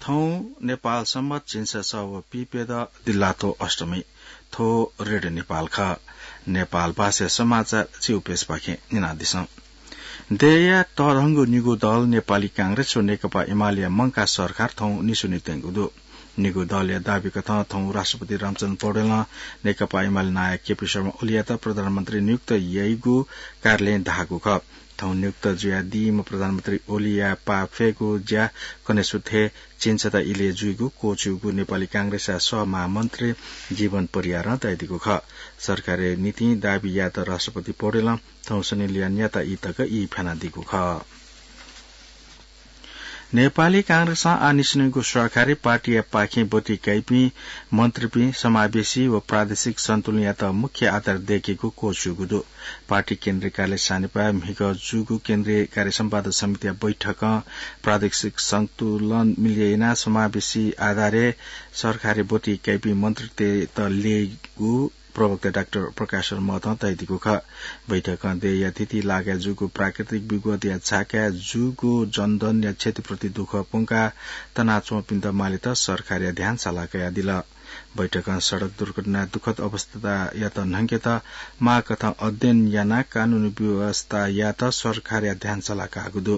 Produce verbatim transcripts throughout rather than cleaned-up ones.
थौं नेपाल संवत् झिंछसः व पिप्यदँ दिल्लातो अष्टमी। थ्व रेडियो नेपाल खः। नेपाल भाषा समाचार च्यू पेजपाखें न्यनादिसँ। देय्‌या तःधंगु निगू दल नेपाली कांग्रेस व नेकपा एमालेया मंकाः सरकार थौं निस्वने त्यंगु दु। निगू दलया दाबी कथं थौं राष्ट्रपति रामचन्द्र पौडेलं नेकपा एमाले नायः केपी शर्मा ओलीयात प्रधानमन्त्री नियुक्त याइगु कार्यालयं धाःगु खः। थौं नियुक्त जुयादीम्ह प्रधानमन्त्री ओलीया पाफेगु ज्या कनेसु थें झिंछता इलय् जुइगु क्वःछिउगु नेपाली कांग्रेसया सहमहामन्त्री जीवन परियारं धयादीगु खः। सरकारया नीतिं दाबी यायेत राष्ट्रपति पौडेलं थौं शनिलिया न्याता ई तक ई फ्यानादीगु खः। नेपाली कांग्रेसं आः निस्वनीगु सरकारय् पार्टीया पाखें ब्वति काइपिं मन्त्रीपिं समावेशी व प्रादेशिक सन्तुलनयात मुख्य आधार दय्‌केगु क्वःछिउगु दु। पार्टी केन्द्रीय कार्यालय सानिपाः म्हिगः जूगु केन्द्रीय कार्य सम्पादन समितिया बैठकं प्रादेशिक सन्तुलन मिले यानाः समावेशी आधारय् सरकारय् ब्वति काइपिं मन्त्रीतय्‌त ल्ययेगु प्रवक्ता डाक्टर प्रकाश शरण महतं धयादीगु खः। बैठकं देय्‌या थीथी लागाय् जूगु प्राकृतिक विपदया झाकाय् जूगु जनधनया क्षतिप्रति दुःख प्वंकाः तनाच्वंपिन्त मालेत सरकारया ध्यान साला कयादिल। बैठकं सडक दुर्घटनाया दुःखद अवस्थायात न्हंकेत माःकथं अध्ययन यानाः कानूनी व्यवस्था यायेत सरकारया ध्यान साला काःगु दु।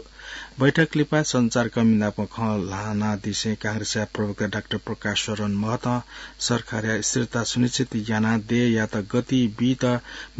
बैठक लिपा सञ्चारकर्मी नाप खँ ल्हानादिसें कांग्रेसया प्रवक्ता डाक्टर प्रकाश शरण महतं सरकारया स्थिरता सुनिश्चित यानाः देय्‌यात गति बीत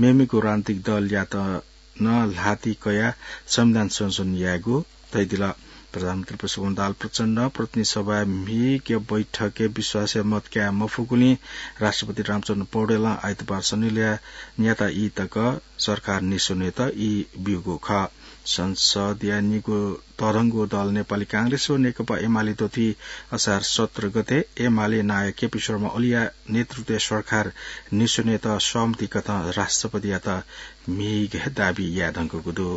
मेमेगु राजनीतिक दलयात नं ल्हाति कयाः संविधान संशोधन यायेगु धयादिल। प्रधानमन्त्री पुष्पकमल दाहाल प्रचण्डं प्रतिनिधि सभाय् म्हिगः बैठकय् विश्वासया मत काये मफुगुलिं राष्ट्रपति रामचन्द्र पौडेलं आइतबार शनिलिया न्याता ई तक सरकार निस्वनेत ई ब्यूगु खः। संसदया निगू तःधंगु दल नेपाली कांग्रेस व नेकपा एमाले दथुइ असार सत्र गते एमाले नायः केपी शर्मा ओलीया नेतृत्वया सरकार निस्वनेत सहमति कथं राष्ट्रपतियात म्हिगः दाबी याये धुंकूगु दु।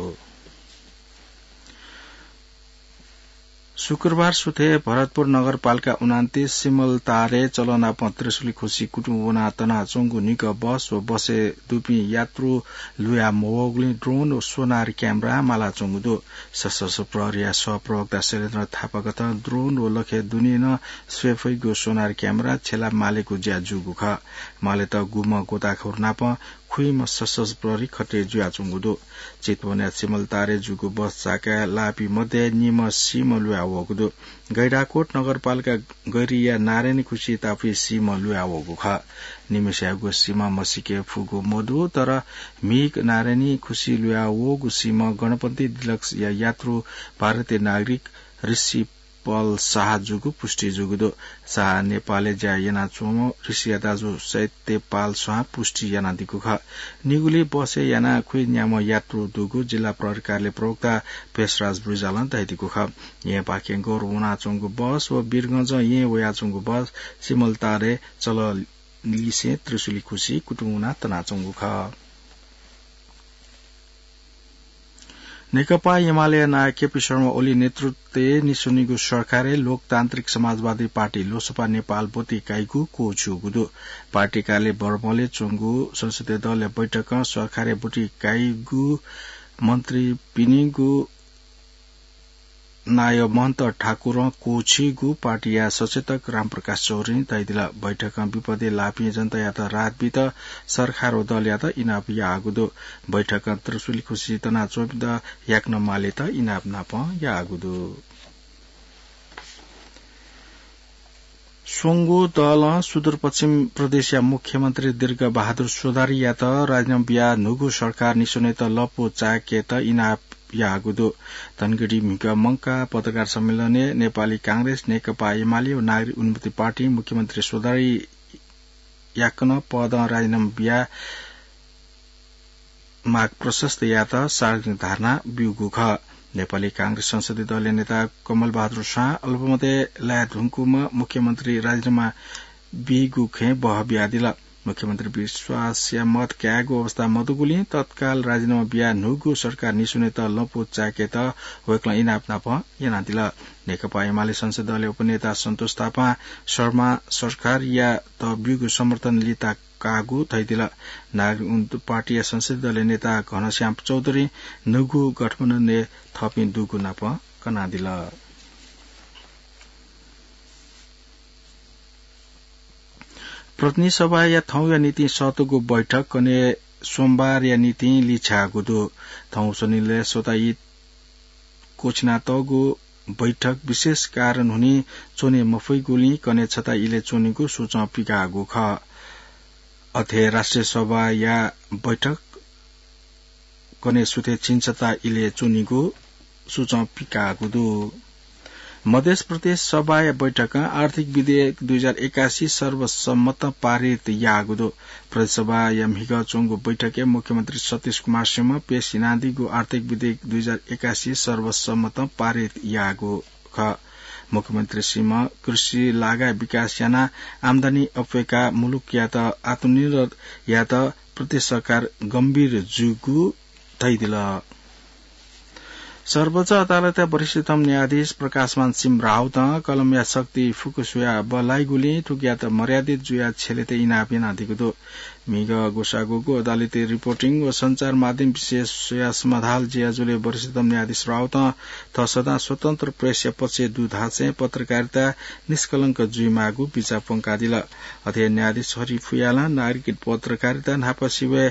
शुक्रबार सुथय् भरतपुर नगरपालिका उनान्तीस सिमलतारे चलनापं त्रिशुली खुसी कुतुं वनाः तनाच्वंगु निगः बस व बसय् दुपिं यात्रु लुया मवःगुलिं ड्रोन व सोनार क्यामेरा मालाच्वंगु दु। सशस्त्र प्रहरीया सहप्रवक्ता शैलेन्द्र थापाकथं ड्रोन व लखय् दुने नं स्वये फइगु सोनार क्यामेरा छ्यला मालेगु ज्या जूगु खः। मालेत गुम्ह गोताखोर नाप खुइम्ह सशस्त्र प्रहरी खटे जुयाच्वंगु दु। चितवनया सिमलतारे जूगु बस झाकाय् लाःपिं मध्ये निम्ह सीम्ह लुया वःगु दु। गैंडाकोट नगरपालिका गैरीया नारायणी खुसी तापुइ सीम्ह लुया वःगु खः। निम्हस्यागु सीम्ह मसीके फुगु मदु, तर म्हिगः नारायणी खुसी लुया वःगु सीम्ह गणपति डिलक्सया यात्रु भारतीय नागरिक ऋषि पल शाह जूगु पुष्टि जूगु दु। शाह नेपालय् ज्या यानाच्वंम्ह ऋषिया दाजु सत्य पाल शाहं पुष्टि यानादीगु खः। निगुलिइ बसय् यानाः खुइन्याम्ह यात्रु दुगु जिल्ला प्रहरी कार्यालय प्रवक्ता भेषराज रिजालं धयादीगु खः। येँपाखें गौर वनाच्वंगु बस व वीरगंजं येँ वयाच्वंगु बस सिमलतारे चललिसें त्रिशुली खुसी कुतुं वनाः तनाच्वंगु खः। नेकपा एमालेया नायः केपी शर्मा ओली नेतृत्वय् निस्वनीगु सरकारय् लोकतान्त्रिक समाजवादी पार्टी लोसपा नेपाल ब्वति काइगु क्वःछिउगु दु। पार्टी कार्यालय बर्मलय् च्वंगु संसदीय दलया बैठकं सरकारय् ब्वति काइगु मन्त्रीपिनिगु नायः महन्त ठाकुरं क्वःछिउगु पार्टीया सचेतक रामप्रकाश चौधुरीं धयादिल। बैठकं विपदय् लाःपिं जनतायात राहत बीत सरकार व दलयात इनाप याःगु दु। बैठकं त्रिशुली खुसी तनाच्वंपिन्त याकनं मालेत इनाप नापं याःगु दु। स्वंगू दलं सुदूरपश्चिम प्रदेशया मुख्यमन्त्री दीर्घ बहादुर चौधरीयात राजीनामा बियाः न्हूगु सरकार निस्वनेत लँपु चाय्‌केत इनाप याःगु दु। धनगढी म्हिगः मंकाः पत्रकार सम्मेलनय् नेपाली कांग्रेस, नेकपा एमाले व नागरिक उन्मुक्ति पार्टीं मुख्यमन्त्री चौधरी याकनं पदं राजीनामा बियाः माग प्रशस्त यायेत सार्वजनिक धर्ना ब्यूगु खः। नेपाली कांग्रेस संसदीय दलया नेता कमल बहादुर शाहं अल्पमतय् लाये धुंकूम्ह मुख्यमन्त्री राजीनामा बीगु खँय् बहः बियादिल। मुख्यमन्त्री विश्वासया मत कायेगु अवस्था मदुगुलिं तत्काल राजीनामा बियाः न्हूगु सरकार निस्वनेत लँपु चाय्‌केत वय्‌कलं इनाप नापं यानादिल। नेकपा एमाले संसदीय दलया उपनेता सन्तोष थापां शर्मा सरकारयात ब्यूगु समर्थन लिता काःगु धयादिल। नागरिक उन्मुक्ति पार्टीया संसदीय दलया नेता घनश्याम चौधरीं न्हूगु गठबन्धनय् थःपिं दुगु नापं कनादिल। प्रतिनिधि सभाया थौंया निंतिं सःतूगु बैठक कन्हय् सोमबारया निंतिं लिछ्याःगु दु। थौं स्वनिलय् स्वता ई क्वछिनातःगु बैठक विशेष कारण हुनिं च्वने मफइगुलिं कन्हय् छता इलय् च्वनीगु सूचं पिकाःगु खः। अथे राष्ट्रिय सभाया बैठक कन्हय् सुथय् झिंछता इलय् च्वनीगु सूचं पिकाःगु दु। मधेस प्रदेश सभाया बैठकं आर्थिक विधेयक दुई हजार एकासी सर्वसम्मत पारित याःगु दु। प्रदेश सभाया म्हिगः च्वंगु बैठकय् मुख्यमन्त्री सतीश कुमार सिंहं पेश यानादीगु आर्थिक विधेयक दुई हजार एकासी सर्वसम्मत पारित याःगु खः। मुख्यमन्त्री सिंहं कृषि लागाय् विकास यानाः आम्दानी अप्वय्काः मुलुकयात आत्मनिर्भर यायेत प्रदेश सरकार गम्भीर जूगु धयादिल। सर्वोच्च अदालतया वरिष्ठतम न्यायाधीश प्रकाशमान सिंह राउतं कलमया शक्ति फुक्क स्वयाः बल्लाइगुलिं थुकियात मर्यादित जुयाः छ्यलेत इनाप यानादीगु दु। म्हिगः ग्वसाः ग्वःगु अदालती रिपोर्टिङ व सञ्चार माध्यम विषय स्वयाः समाधान जुयाजुलिं वरिष्ठतम न्यायाधीश राउतं थः सदां स्वतन्त्र प्रेसया पक्षय् दु धासें पत्रकारिता निष्कलंक जुइमाःगु बिचाः प्वंकादिल। अथे न्यायाधीश हरि फुयालं नागरिक पत्रकारिता न्हापा सिबय्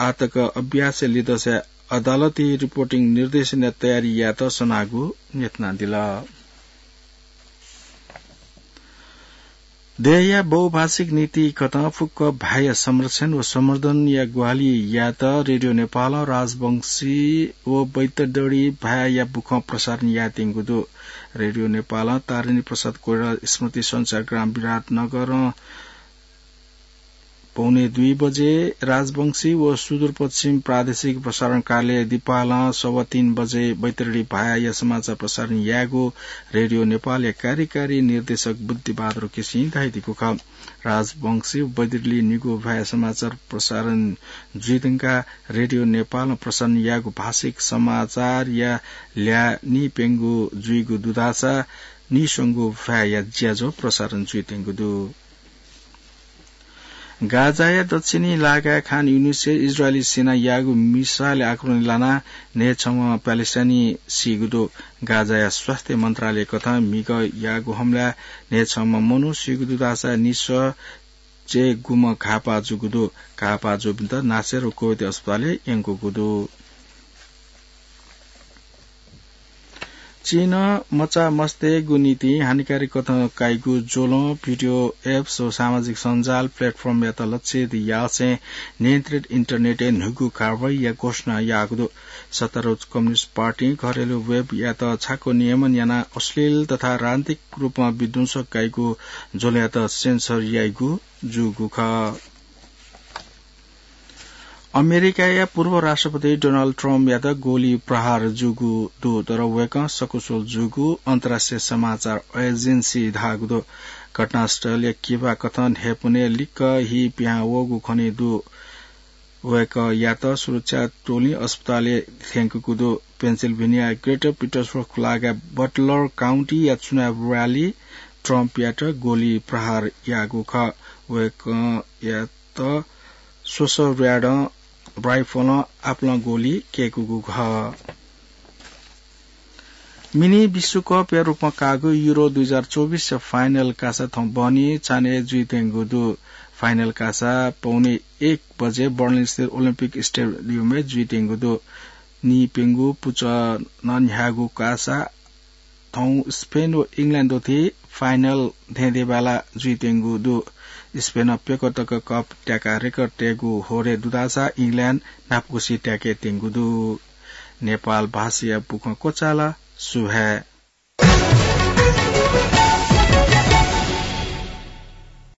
आःतक अभ्यासय् लिदँसा अदालती रिपोर्टिङ निर्देशनया तयारी यायेत सनागु न्ह्यथनादिल। देय्‌या बहुभाषिक नीति कथं फुक्क भाय्‌या संरक्षण व संवर्धनया ग्वाहालि यायेत रेडियो नेपालं राजवंशी व बैतडीडी भाय्‌या बुखँ प्रसारण यायेत्यंगु दु। रेडियो नेपालं तारिणी प्रसाद कोइराला स्मृति संचारग्राम विराटनगरं पौने दुई बजे राजवंशी व सुदूरपश्चिम प्रादेशिक प्रसारण कार्यालय दिपालं सवा तीन बजे बैतडी भाय्‌या समाचार प्रसारण यायेगु रेडियो नेपालया कार्यकारी निर्देशक बुद्धिबहादुर केसीं धयादीगु खः। राजवंशी व बैतडी निगू भाय्‌या समाचार प्रसारण जुइधुंकाः रेडियो नेपालं प्रसारण याःगु भाषिक समाचारया ल्याः निप्यंगू जुइगु दुधासा निस्वंगू भाय्‌या ज्याझ्वः प्रसारण जुइधुंगु दु। गाजाया दक्षिणी लागाय् खान युनिसय् इजरायली सेनां याःगु मिसाइल आक्रमणय् लानाः न्हय्‌छम्ह प्यालेस्टाइनी सीगु दु। गाजाया स्वास्थ्य मन्त्रालय कथं म्हिगः याःगु हमलाय् न्हय्‌छम्ह मनू सीगु दु धाःसा निसः च्यय्‌गुम्ह घाःपाः जूगु दु। घाःपाः जूपिन्त नासेर व कुवैत अस्पतालय् यंकूगु दु। चीनं मचा मस्तय्‌गु निंतिं हानिकारी कथं काइगु ज्वलं भिडियो एप्स व सामाजिक सञ्जाल प्लेटफर्मयात लक्षित यासें नियन्त्रित इन्टरनेटय् न्हूगु कारवाहीया घोषणा याःगु दु। सत्तारूढ कम्युनिस्ट पार्टीं घरेलु वेबयात छाको नियमन यानाः अश्लील तथा राजनीतिक रूपमा विध्वंसक काइगु ज्वलंयात सेन्सर याइगु जूगु खः। अमेरिकाया पूर्व राष्ट्रपति डोनाल्ड ट्रम्पयात गोली प्रहार जूगु दु, तर वय्‌कः सकुशल जूगु अन्तर्राष्ट्रिय समाचार एजेन्सीं धाःगु दु। घटनास्थलया किबा कथं न्हय्‌पनय् लिक्क हि पिहां वःगु खनेदु। वय्‌कःयात सुरक्षा टोलीं अस्पतालय् थ्यंकूगु दु। पेन्सिल्भेनियाया ग्रेटर पिटर्सबर्ग लागाय् बटलर काउन्टीया चुनाव र्‍यालीइ ट्रम्पयात गोली प्रहार याःगु खः। वय्‌कःयात स्वसः र्‍याडं राइफलं आपालं गोली कय्‌कूगु खः। मिनी विश्वकपया रूपमा काःगु युरो दुई हजार चौबिसया फाइनल कासा थौं बहनी चान्हय् जुइधुंगु दु। फाइनल कासा पौने एक बजे बर्लिनस्थित ओलम्पिक स्टेडियमय् जुइधुंगु दु। निइप्यंगू पुचलं न्ह्याःगु कासा थौं स्पेन व इङ्ल्याण्ड दथुइ फाइनल धेंधेंबाला जुइधुंगु दु। स्पेनं प्यक्व तक कप त्याकाः रेकर्ड तयेगु होरे दुधासा इङ्ल्याण्ड न्हापाकुसि त्याकेधुंगु दु। नेपाल भाषाया बुखँ क्वचाल। सुभाय्।